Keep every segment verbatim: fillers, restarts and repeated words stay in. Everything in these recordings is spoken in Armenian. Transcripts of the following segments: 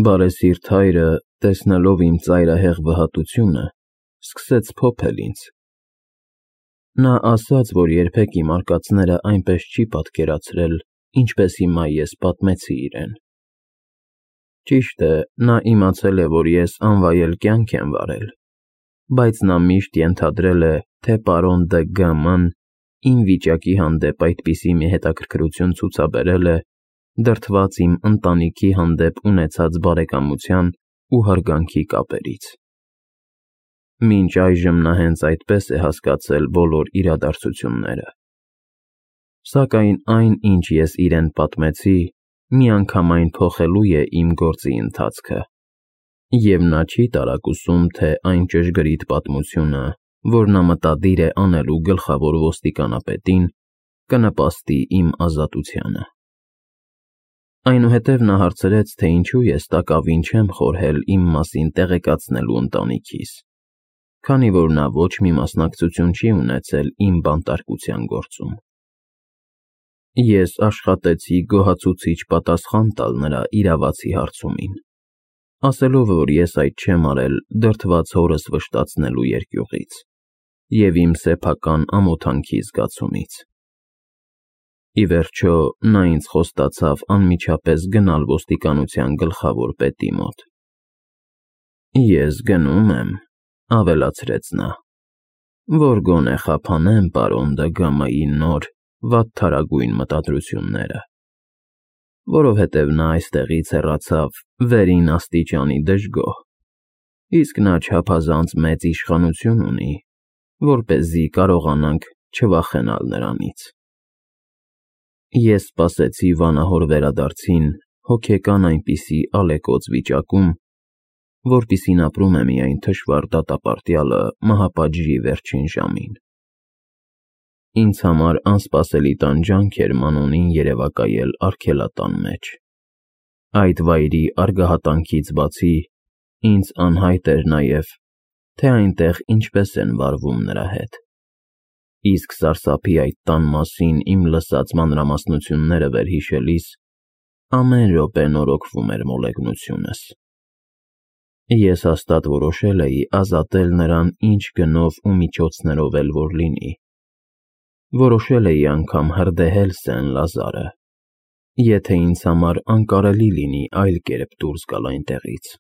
Բարեսիրտ հայրը, տեսնելով իմ ծայրահեղ վհատությունը, սկսեց փոփել ինձ. նա ասաց, որ երբեք իմ արկածները այնպես չի պատկերացրել, ինչպես հիմա ես պատմեցի իրեն։ Ճիշտ է, նա իմացել է, որ ես անվայել կյանք եմ վարել, բայց նա միշտ ենթադրել է, թե պարոն Դը Գ.Մ.-ն իմ վիճակի հանդեպ այդպիսի մի հետաքրքրություն ցուցաբերել է, դրդված իմ ընտանիքի հանդեպ ունեցած բարեկամության ու հարգանքի կապերից։ Մինչ այժմ նա հենց այդպես է հասկացել բոլոր իրադարձությունները։ Սակայն այն, ինչ ես իրեն պատմեցի, միանգամայն փոխելու է իմ գործի ընթացքը, և նա չի տարակուսում, թե այն ճշգրիտ պատմությունը, որ նա մտադիր է անելու գլխավոր ոստիկանապետին, կնպաստի իմ ազատությանը։ Այնուհետև նա հարցրեց, թե ինչու ես տակավին չեմ խորհել իմ մասին տեղեկացնելու ընտանիքիս, քանի որ նա ոչ մի մասնակցություն չի ունեցել իմ բանտարկության գործում։ Ես աշխատեցի գոհացուցիչ պատասխան տալ նրա իրավացի հարցումին, ասելով, որ ես այդ չեմ արել դրդված հորս վշտացնելու երկյուղից և իմ սեփական ամոթանքի զգացումից։ Ի վերջո, նա ինձ խոստացավ անմիջապես գնալ ոստիկանության գլխավոր պետի մոտ։ Ես գնում եմ, ավելացրեց նա, որ գոնե խափանեմ պարոն Դը Գ.Մ.-ի նոր, վատթարագույն մտադրությունները, որովհետև նա այստեղից հեռացավ վերին աստիճանի դժգոհ, իսկ նա չափազանց մեծ իշխանություն ունի, որպեսզի կարողանանք չվախենալ նրանից։ Ես սպասեցի վանահոր վերադարձին հոգեկան այնպիսի ալեկոծ վիճակում, որպիսին ապրում է միայն թշվառ դատապարտյալը մահապատժի վերջին ժամին։ Ինձ համար անսպասելի տանջանք էր մանունին երևակայել արգելատան մեջ։ Այդ վայրի արգահատանքից բացի, ինձ անհայտ էր նաև, թե այնտեղ ինչպես են վարվում նրա հետ, իսկ սարսափի այդ տան մասին իմ լսած մանրամասնությունները վերհիշելիս, ամեն րոպե նորոգվում էր մոլեգնությունս։ Ես հաստատ որոշել էի ազատել նրան ինչ գնով ու միջոցներով էլ որ լինի, որոշել էի անգամ հրդեհել Սեն Լազարը, եթե ինձ համար անկարելի լինի այլ կերպ դուրս գալ այնտեղից։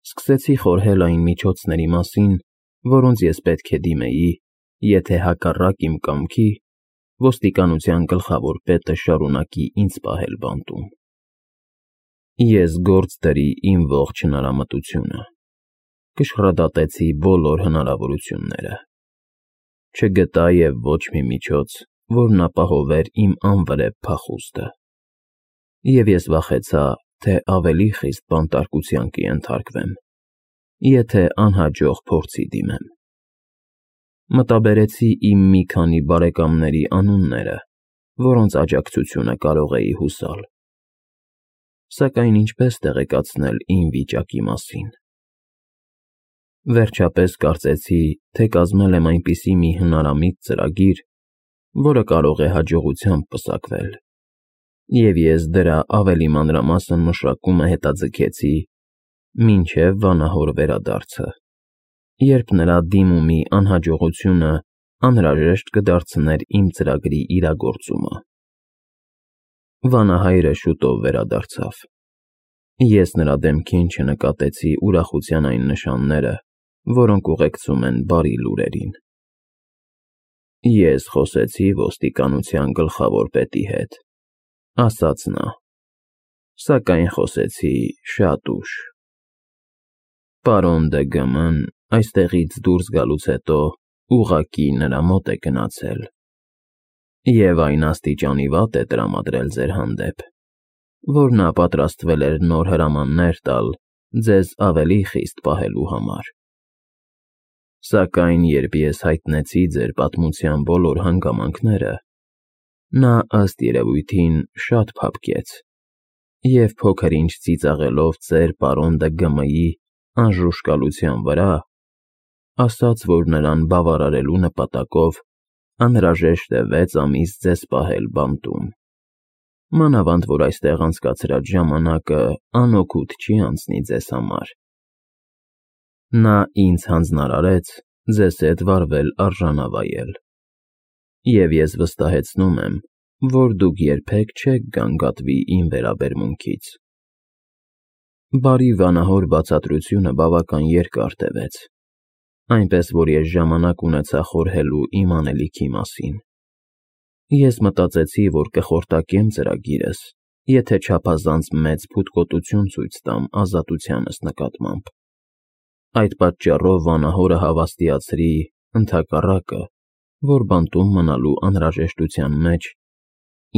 Սկսեցի խորհել այն միջոցների մասին, որոնց ես պետք է դիմեի, եթե հակառակ իմ կամքի ոստիկանության գլխավոր պետը շարունակի ինձ պահել բանտում։ Ես գործ դրի իմ ողջ հնարամտությունը, կշռադատեցի բոլոր հնարավորությունները, չգտա և ոչ մի միջոց, որն ապահովեր իմ անվրեպ փախուստը, և ես վախեցա, թե ավելի խիստ բանտարկության կենթարկվեմ, եթե անհաջող փորձի դիմեմ։ Մտաբերեցի իմ մի քանի բարեկամների անունները, որոնց աջակցությունը կարող էի հուսալ։ Սակայն ինչպես տեղեկացնել իմ վիճակի մասին։ Վերջապես կարծեցի, թե կազմել եմ այնպիսի մի հնարամիտ ծրագիր, որը կարող է հաջողությամբ պսակվել, և ես դրա ավելի մանրամասն մշակումը հետաձգեցի մինչև վանահոր վերադարձը, երբ նրա դիմումի անհաջողությունը անհրաժեշտ կդարձներ իմ ծրագրի իրագործումը։ Վանահայրը շուտով վերադարձավ։ Ես նրա դեմքին չնկատեցի ուրախության այն նշանները, որոնք ուղեկցում են բարի լուրերին։ Ես խոսեցի ոստիկանության գլխավոր պետի հետ, ասաց նա, սակայն խոսեցի շատ ուշ։ Պարոն Դը Գ.Մ.-ն այստեղից դուրս գալուց հետո ուղղակի նրա մոտ է գնացել, և այն աստիճանի վատ է տրամադրել ձեր հանդեպ, որ նա պատրաստվել էր նոր հրամաններ տալ ձեզ ավելի խիստ պահելու համար։ Սակայն երբ ես հայտնեցի ձեր պատմության բոլոր հանգամանքները, նա ըստ երևույթին շատ փափկեց և փոքր-ինչ ծիծաղելով ձեր պարոն Դը Գ.Մ.-ի անժուշկալության վրա, ասաց, որ նրան բավարարելու նպատակով անհրաժեշտ է վեց ամիս ձեզ պահել բանտում։ մանավանդ որ այստեղ անցկացրած ժամանակը անօգուտ չի անցնի ձեզ համար։ Նա ինձ հանձնարարեց ձեզ հետ վարվել արժանավայել, և ես վստահեցնում եմ, որ դուք երբեք չեք գանգատվի իմ վերաբերմունքից։ Բարի վանահոր բացատրությունը բավական երկար տևեց, այնպես որ ես ժամանակ ունեցա խորհելու իմ անելիքի մասին։ Ես մտածեցի, որ կխորտակեմ ծրագիրս, եթե չափազանց մեծ փութկոտություն ցույց տամ ազատությանս նկատմամբ։ Այդ պատճառով վանահորը հավաստիացրի, ընդհակառակը, որ բանտում մնալու անհրաժեշտության մեջ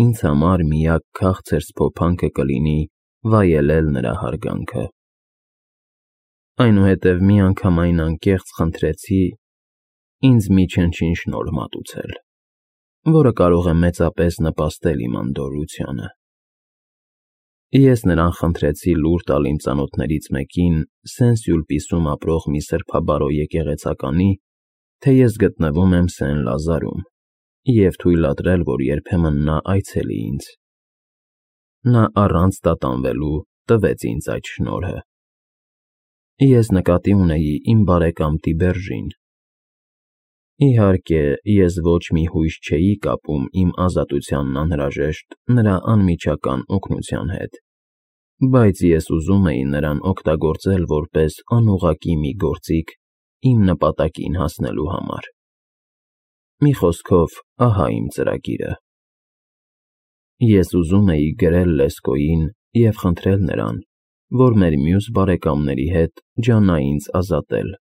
ինձ համար միակ քաղցր սփոփանքը կլինի վայելել նրա հարգանքը։ Այնուհետև միանգամայն անկեղծ խնդրեցի ինձ մի չնչին շնորհ մատուցել, որը կարող է մեծապես նպաստել իմ անդորրությանը։ Ես նրան խնդրեցի լուր տալ իմ ծանոթներից մեկին Սեն-Սյուլպիսում ապրող մի սրբաբարո եկեղեցականի, թե ես գտնվում եմ Սեն֊Լազարում, և թույլատրել, որ երբեմն նա այցելի ինձ։ Նա առանց տատանվելու տվեց ինձ այդ շնորհը։ Ես նկատի ունեի իմ բարեկամ Տիբերժին։ Իհարկե, ես ոչ մի հույս չէի կապում իմ ազատությանն անհրաժեշտ նրա անմիջական օգնության հետ, բայց ես ուզում էի նրան օգտագործել որպես անուղղակի մի գործիք իմ նպատակին հասնելու համար։ Մի խոսքով, ահա իմ ծրագիրը։ Ես ուզում էի գրել Լեսկոյին և խնդրել նրան, որ մեր մյուս բարեկամների հետ ջանա ինձ ազատել։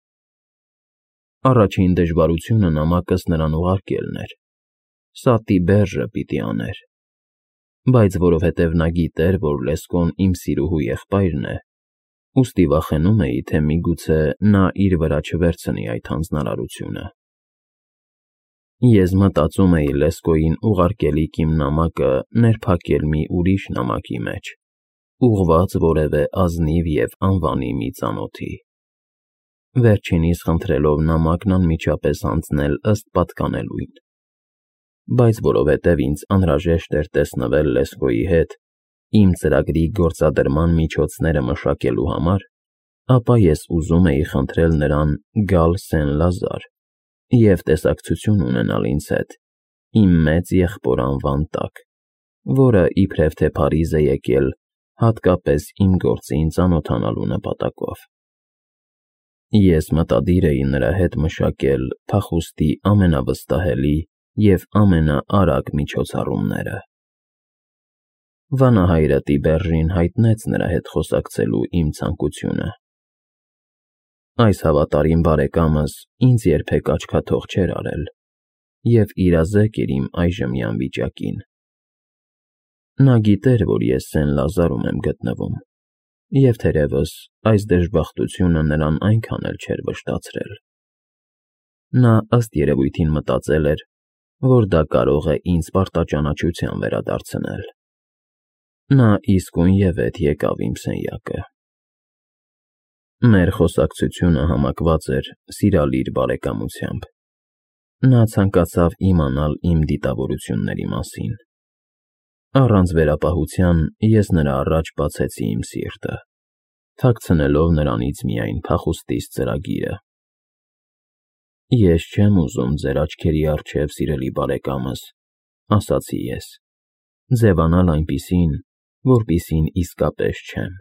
Առաջին դժվարությունը նամակս նրան ուղարկելն էր։ Սա Տիբերժը պիտի աներ։ Բայց որովհետև նա գիտեր, որ Լեսկոն իմ սիրուհու եղբայրն է, ուստի վախենում էի, թե միգուցե նա իր վրա չվերցնի այդ հանձնարարությունը։ Ես մտածում էի Լեսկոյին ուղարկելիք իմ նամակը ներփակել մի ուրիշ նամակի մեջ, ուղղված որևէ ազնիվ և անվանի մի ծանոթի, վերջինիս խնդրելով նամակն անմիջապես հանձնել ըստ պատկանելույն։ Բայց որովհետև ինձ անհրաժեշտ էր տեսնվել Լեսկոյի հետ իմ ծրագրի գործադրման միջոցները մշակելու համար, ապա ես ուզում էի խնդրել նրան գալ Սեն-Լազար և տեսակցություն ունենալ ինձ հետ իմ մեծ եղբոր անվան տակ, որը իբրև թե Փարիզ է եկել հատկապես իմ գործին ծանոթանալու նպատակով։ Ես մտադիր էի նրա հետ մշակել փախուստի ամենավստահելի և ամենաարագ միջոցառումները։ Վանահայրը Տիբերժին հայտնեց նրա հետ խոսակցելու իմ ցանկությունը։ Այս հավատարիմ բարեկամս ինձ երբեք աչքաթող չէր արել և իրազեկ էր իմ այժմյան վիճակին։ Նա գիտեր, որ ես Սեն-Լազարում եմ գտնվում, և թերևս այս դժբախտությունը նրան այնքան էլ չէր վշտացրել։ Նա ըստ երևույթին մտածել էր, որ դա կարող է ինձ պարտաճանաչության վերադարձնել։ Նա իսկույնևեթ եկավ իմ սենյակը։ Մեր խոսակցությունը համակված էր սիրալիր բարեկամությամբ։ Նա ցանկացավ իմանալ իմ դիտավորությունների մասին։ Առանց վերապահության ես նրա առաջ բացեցի իմ սիրտը, թաքցնելով նրանից միայն փախուստիս ծրագիրը։ Ես չեմ ուզում ձեր աչքերի առջև, սիրելի բարեկամս, ասացի ես, ձևանալ այնպիսին, որպիսին իսկապես չեմ։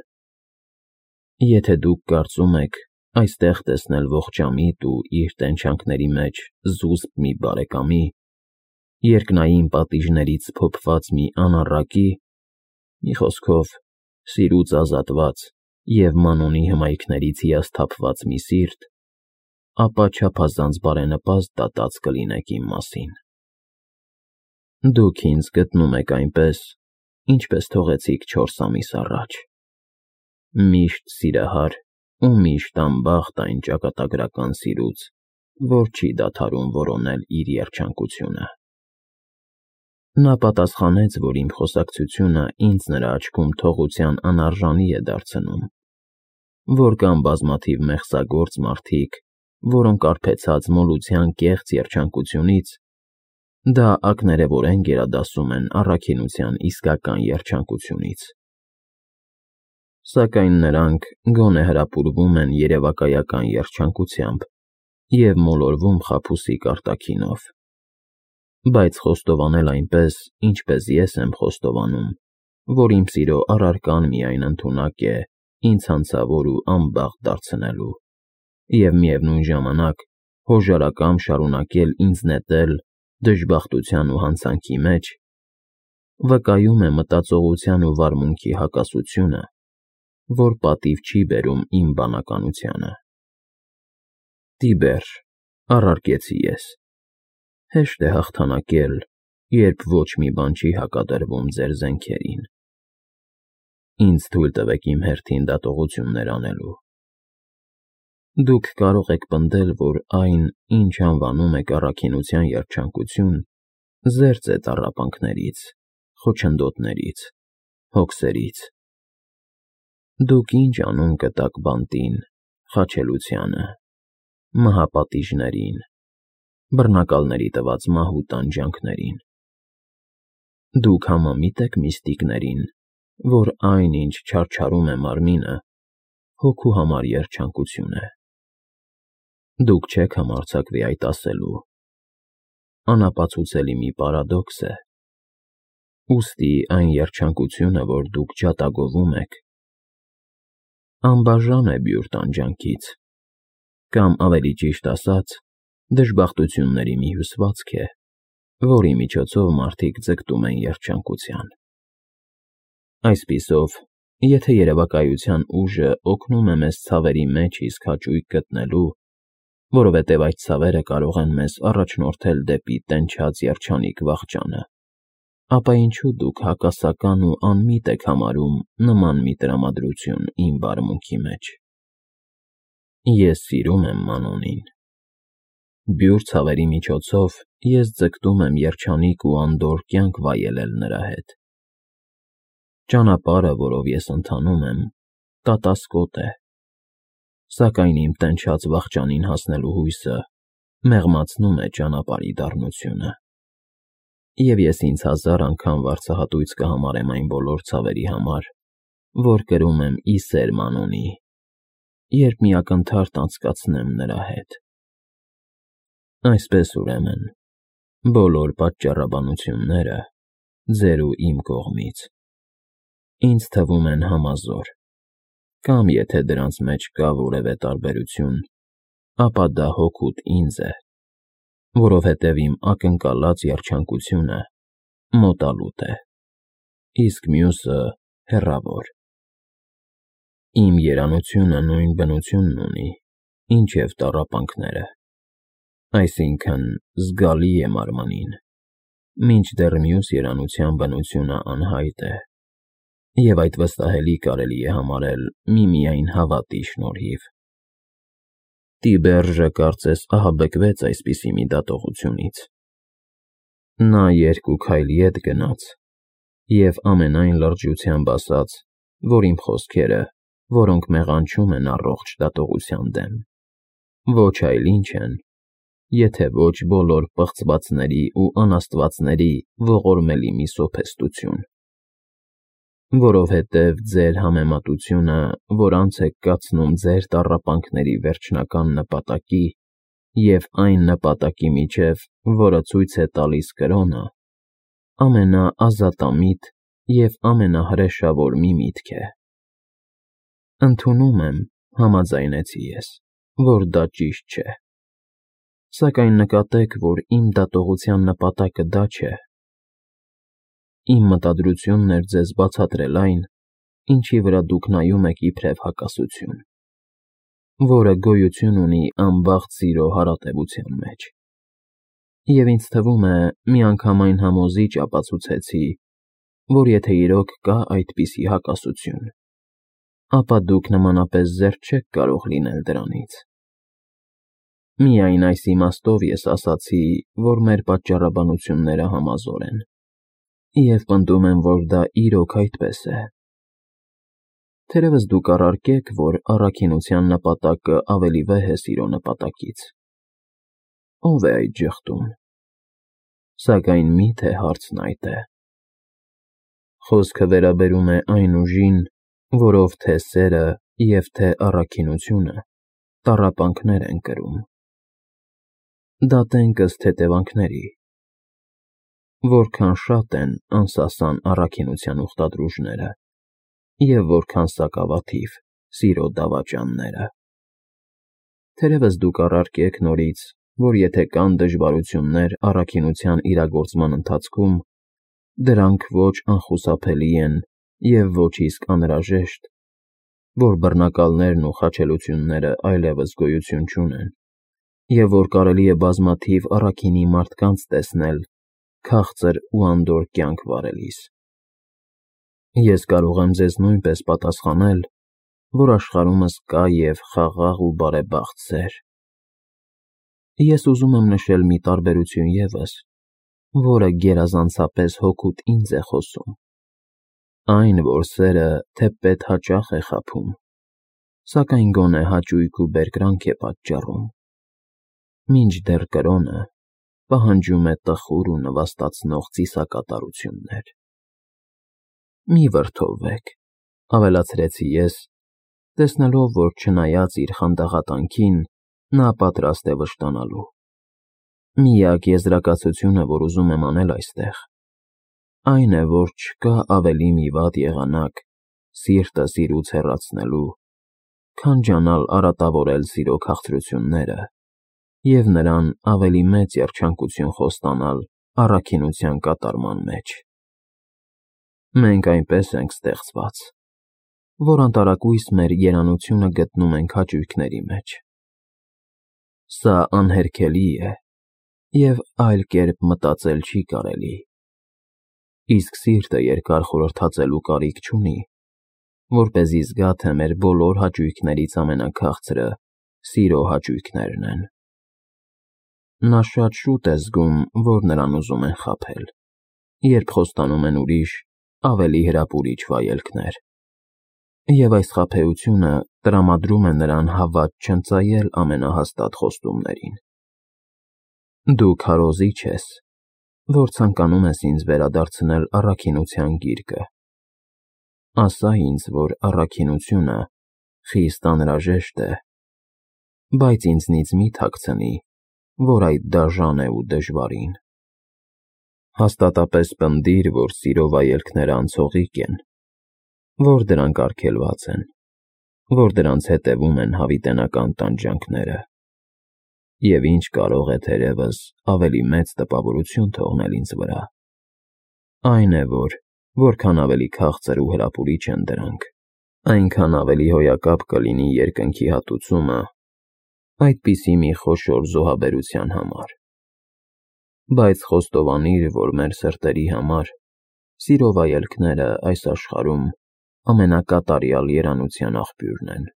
Եթե դուք կարծում եք այստեղ տեսնել ողջամիտ ու իր տենչանքների մեջ զուսպ մի բարեկամի, երկնային պատիժներից փոփված մի անառակի, մի խոսքով, սիրուց ազատված և մանոնի հմայքներից հիասթափված մի սիրտ, ապա չափազանց բարենպաստ դատած կլինեք իմ մասին։ Դուք ինձ գտնում եք այնպես, ինչպես թողեցիք չորս ամիս առաջ, միշտ սիրահար ու միշտ անբախտ այն ճակատագրական սիրուց, որ չի դադարում որոնել իր երջանկությունը։ Նա պատասխանեց, որ իմ խոսակցությունը ինձ նրա աչքում թողության անարժանի է դարձնում, որ կան բազմաթիվ մեղսագործ մարդիկ, որոնք արբեցած մոլության կեղծ երջանկությունից Դա ակներևորեն գերադասում են առաքինության իսկական երջանկությունից։ Սակայն նրանք գոնե հրապուրվում են երևակայական երջանկությամբ և մոլորվում խաբուսիկ արտաքինով։ Բայց խոստովանել այնպես, ինչպես ես եմ խոստովանում, որ իմ սիրո առարկան միայն ընդունակ է ինձ հանցավոր ու անբախտ դարձնելու, և միևնույն ժամանակ հոժարակամ շարունակել ինձ նետել դժբախտության ու հանցանքի մեջ, վկայում է մտածողության ու վարմունքի հակասությունը, որ պատիվ չի բերում իմ բանականությանը։ Տիբեր, առարկեցի ես, հեշտ է հաղթանակել, երբ ոչ մի բան չի հակադրվում ձեր զենքերին։ Ինձ թույլ տվեք իմ հերթին դատողություններ անելու։ Դուք կարող եք պնդել, որ այն, ինչ անվանում եք առաքինության երջանկություն, զերծ է տառապանքներից, խոչընդոտներից, հոգսերից։ Դուք ինչ անուն կտաք բանտին, խաչելությանը, մահապատիժներին, բռնակալների տված մահու տանջանքներին։ Դուք համամիտ եք միստիկներին, որ այն, ինչ չարչարում է մարմինը, հոգու համար երջանկություն է։ Դուք չեք համարձակվի այդ ասելու։ Անապացուցելի մի պարադոքս է։ Ուստի այն երջանկությունը, որ դուք ջատագովում եք, անբաժան է բյուր տանջանքից, կամ ավելի ճիշտ ասած, դժբախտությունների մի հյուսվածք է, որի միջոցով մարդիկ ձգտում են երջանկության։ Այսպիսով, եթե երևակայության ուժը օգնում է մեզ ցավերի մեջ իսկ հաճույք գտնելու, որովհետև այդ ցավերը կարող են մեզ առաջնորդել դեպի տենչած երջանիկ վախճանը, ապա ինչու դուք հակասական ու անմիտ եք համարում նման մի տրամադրություն իմ վարմունքի մեջ։ Ես սիրում եմ Մանոնին։ Բյուր ցավերի միջոցով ես ձգտում եմ երջանիկ ու անդորր կյանք վայելել նրա հետ։ Ճանապարհը, որով ես ընթանում եմ, կատասկոտ է, սակայն իմ տենչած վախճանին հասնելու հույսը մեղմացնում է ճանապարհի դառնությունը։ Եվ ես ինձ հազար անգամ վարձահատույց կհամարեմ այն բոլոր ցավերի համար, որ կրում եմ ի սեր Մանոնի, երբ մի ակնթարթ անցկացնեմ նրա հետ։ Այսպես, ուրեմն, բոլոր պատճառաբանությունները, ձեր ու իմ կողմից, ինձ թվում են համազոր, կամ եթե դրանց մեջ կա որևէ տարբերություն, ապա դա հօգուտ ինձ է, որովհետև իմ ակնկալած երջանկությունը մոտալուտ է, իսկ մյուսը հեռավոր։ Իմ երանությունը նույն բնությունն ունի, ինչև տառապանքները, այսինքն զգալի է մարմնին, մինչդեռ մյուս երանության բնությունը անհայտ է, և այդ վստահելի կարելի է համարել միմիայն հավատի շնորհիվ։ Տիբերժը կարծես ահաբեկվեց այսպիսի մի դատողությունից։ Նա երկու քայլ ետ գնաց և ամենայն լրջությամբ ասաց, որ իմ խոսքերը, որոնք մեղանչում են առողջ դատողության դեմ, ոչ այլ ինչ են, եթե ոչ բոլոր պղծվածների ու անաստվածների ողորմելի մի սոփեստություն։ Որովհետև ձեր համեմատությունը, որ անց եք կացնում ձեր տառապանքների վերջնական նպատակի և այն նպատակի միջև, որը ցույց է տալիս կրոնը, ամենաազատամիտ և ամենահրեշավոր մի միտք է։ Ընդունում եմ, համաձայնեցի ես, որ դա ճիշտ չէ, սակայն նկատեք, որ իմ դատողության նպատակը դա չէ։ Իմ մտադրությունն էր ձեզ բացատրել այն, ինչի վրա դուք նայում եք իբրև հակասություն, որը գոյություն ունի անբախտ սիրո հարատևության մեջ։ Եվ ինձ թվում է, միանգամայն համոզիչ ապացուցեցի, որ եթե իրոք կա այդպիսի հակասություն, ապա դուք նմանապես զերծ չեք կարող լինել դրանից։ Միայն այս իմաստով ես ասացի, որ մեր պատճառաբանությունները համազոր են, և պնդում եմ, որ դա իրոք այդպես է։ Թերևս դուք առարկեք, որ առաքինության նպատակը ավելի վեհ է սիրո նպատակից։ Ո՞վ է այդ ժխտուն։ Սակայն մի՞թե հարցն այդ է։ Խոսքը վերաբերում է այն ուժին, որով թե սերը և թե առաքինությունը տառապանքներ են կրում։ Դատենք ըստ հետևանքների. որքան շատ են անսասան առաքինության ուխտադրուժները և որքան սակավաթիվ սիրո դավաճանները։ Թերևս դուք առարկեք նորից, որ եթե կան դժվարություններ առաքինության իրագործման ընթացքում, դրանք ոչ անխուսափելի են և ոչ իսկ անհրաժեշտ, որ բռնակալներն ու խաչելությունները այլևս գոյություն չունեն, և որ կարելի է բազմաթիվ առաքինի մարդկանց տեսնել քաղցր ու անդորր կյանք վարելիս։ Ես կարող եմ ձեզ նույնպես պատասխանել, որ աշխարհումս կա և խաղաղ ու բարեբախտ սեր։ Ես ուզում եմ նշել մի տարբերություն ևս, որը գերազանցապես հօգուտ ինձ է խոսում, այն, որ սերը թեպետ հաճախ է խաբում, սակայն գոնե հաճույք ու բերկրանք է պատճառում, մինչդեռ կրոնը պահանջում է տխուր ու նվաստացնող ծիսակատարություններ։ Մի վրդովվեք, ավելացրեցի ես, տեսնելով, որ չնայած իր խանդաղատանքին, նա պատրաստ է վշտանալու։ Միակ եզրակացությունը, որ ուզում եմ անել այստեղ, այն է, որ չկա ավելի մի վատ եղանակ սիրտս իրուց հեռացնելու, քան ջանալ արատավորել սիրո քաղցրությունները և նրան ավելի մեծ երջանկություն խոստանալ առաքինության կատարման մեջ։ Մենք այնպես ենք ստեղծված, որ անտարակույս մեր երանությունը գտնում ենք հաճույքների մեջ։ Սա անհերքելի է, և այլ կերպ մտածել չի կարելի, իսկ սիրտը երկար խորհրդածելու կարիք չունի, որպեսզի զգա, թե մեր բոլոր հաճույքներից ամենաքաղցրը սիրո հաճույքներն են։ Նա շատ շուտ է զգում, որ նրան ուզում են խաբել, երբ խոստանում են ուրիշ, ավելի հրապուրիչ վայելքներ, և այս խաբեությունը տրամադրում է նրան հավատ չընծայել ամենահաստատ խոստումներին։ Դու քարոզիչ ես, որ ցանկանում ես ինձ վերադարձնել առաքինության գիրկը։ Ասա ինձ, որ առաքինությունը խիստ անհրաժեշտ է, բայց ինձնից մի թաքցնի, որ այդ դաժան է ու դժվարին։ Հաստատապես պնդիր, որ սիրո վայելքները անցողիկ են, որ դրանք արգելված են, որ դրանց հետևում են հավիտենական տանջանքները, և ինչ կարող է թերևս ավելի մեծ տպավորություն թողնել ինձ վրա, այն է, որ որքան ավելի քաղցր ու հրապուրիչ են դրանք, այնքան ավելի հոյակապ կլինի երկնքի հատուցումը այդպիսի մի խոշոր զոհաբերության համար։ Բայց խոստովանիր, որ մեր սրտերի համար սիրո վայելքները այս աշխարհում ամենակատարյալ երանության աղբյուրն են։